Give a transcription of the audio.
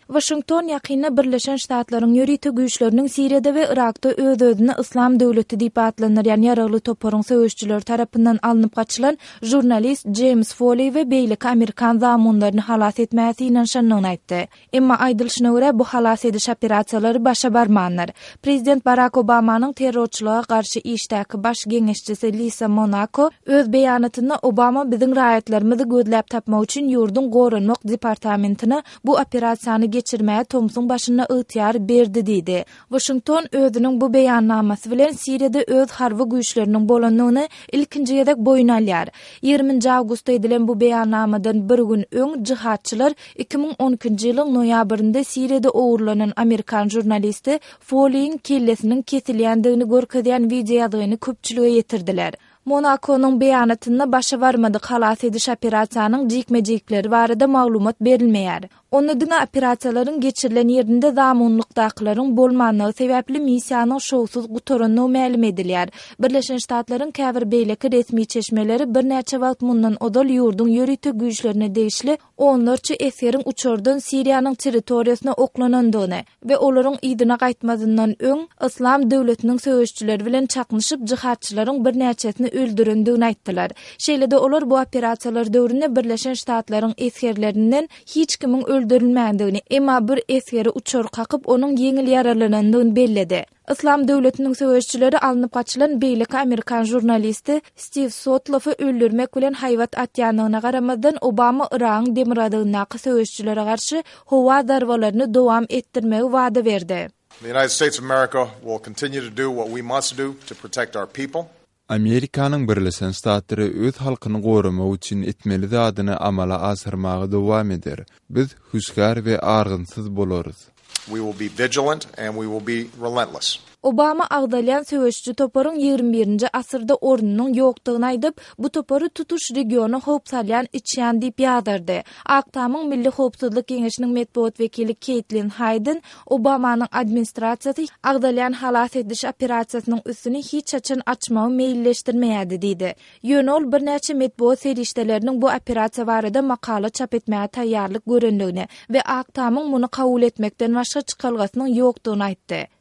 Waşington ýakynda Birleşen Ştatlaryň ýörite güýçleriniň Siriýada we Yrakda öz-özüni Yslam döwleti diýip atlandyrýan ýaragly toparyň söweşijileri tarapyndan alnyp gaçylan žurnalist Jeýms Foleý we beýleki amerikan zamunlaryny halas etmäge synanyşandygyny aýtdy. Emma, aýdylyşyna görä, bu halas ediş operasiýalary başa barmandyr. Prezident Barak Obamanyň terrorçylyga garşy işdäki baş geňeşçisi Lisa Monako öz beýanatynda Obama biziň raýatlarymyzy gözläp tapmak üçin ýurduň Goranmak departamentine bu operasiýany geçirmäge tomsuň başynda ygtyýar berdi diýdi. Waşington özüniň bu beýannamasy bilen Siriýada öz harby güýçleriniň bolandygyny ilkinji gezek boýun alýar. Ýigriminji awgustda edilen bu beýannamadan bir gün öň jihadçylar 2012-nji ýylyň noýabrynda Siriýada ogurlanan amerikan žurnalisti Foliýiň kellesiniň kesilýändigini görkezýän wideoýazgyny köpçülige ýetirdiler. Monakonyň beýanatynda başa barmadyk halas ediş operasiýanyň jikme-jikleri barada maglumat berilmeýär. Onda diňe operasiýalaryň geçirilen ýerinde zamunlykdakylaryň bolmanlygy sebäpli missiýanyň şowsuz gutarandygy mälim edilýär. Birleşen Ştatlaryň käbir beýleki resmi çeşmeleri birnäçe wagt mundan ozal ýurduň ýörite güýçlerine degişli onlarça esgeriň uçardan Siriýanyň territoriýasyna oklanandygyny we olaryň yzyna gaýtmazyndan öň Yslam döwletiniň söweşijileri bilen çaknyşyp jihadçylaryň birnäçesini öldürendigini aýtdylar. Şeýle-de olar bu operasiýalar döwründe Birleşen Ştatlaryň esgerlerinden hiç kimiň öldürilmändigini, emma bir esgeri uçar kakyp, onuň ýeňil ýaralanandygyny belledi. Yslam döwletiniň söweşijileri alnyp gaçylan beýleki amerikan žurnalisti Stiw Sotloffy öldürmek bilen haýbat atýandygyna garamazdan, Obama Yragyň demirgazygyndaky söweşijilere garşy howa zarbalaryny dowam etdirmegi wada berdi. The United States of America will continue to do what we must do to protect our people. Amerikanyň Birleşen Ştatlary öz halkyny goramak üçin etmeli zadyny amala aşyrmaga dowam eder. Biz hüşgär we argynsyz bolarys. We will be vigilant and we will be relentless. Obama agzalýan söweşiji toparyň ýigrimi birinji asyrda ornunyň ýokdugyny aýdyp, bu topary tutuş regiona howp salýan içýan diýip ýazardy. Ak Tamyň Milli howpsuzlyk geňeşiniň metbugat wekili Keýtlin Haýden Obamanyň administrasiýasy agzalýan halas ediş operasiýasynyň üstüni hiç haçan açmagy meýilleşdirmeýärdi diýdi. Ýöne ol birnäçe metbugat serişdeleriniň bu operasiýa barada makala çap etmäge taýýarlyk görendigini we Ak Tamyň muny kabul etmekden başga çykalgasynyň ýokdugyny aýtdy.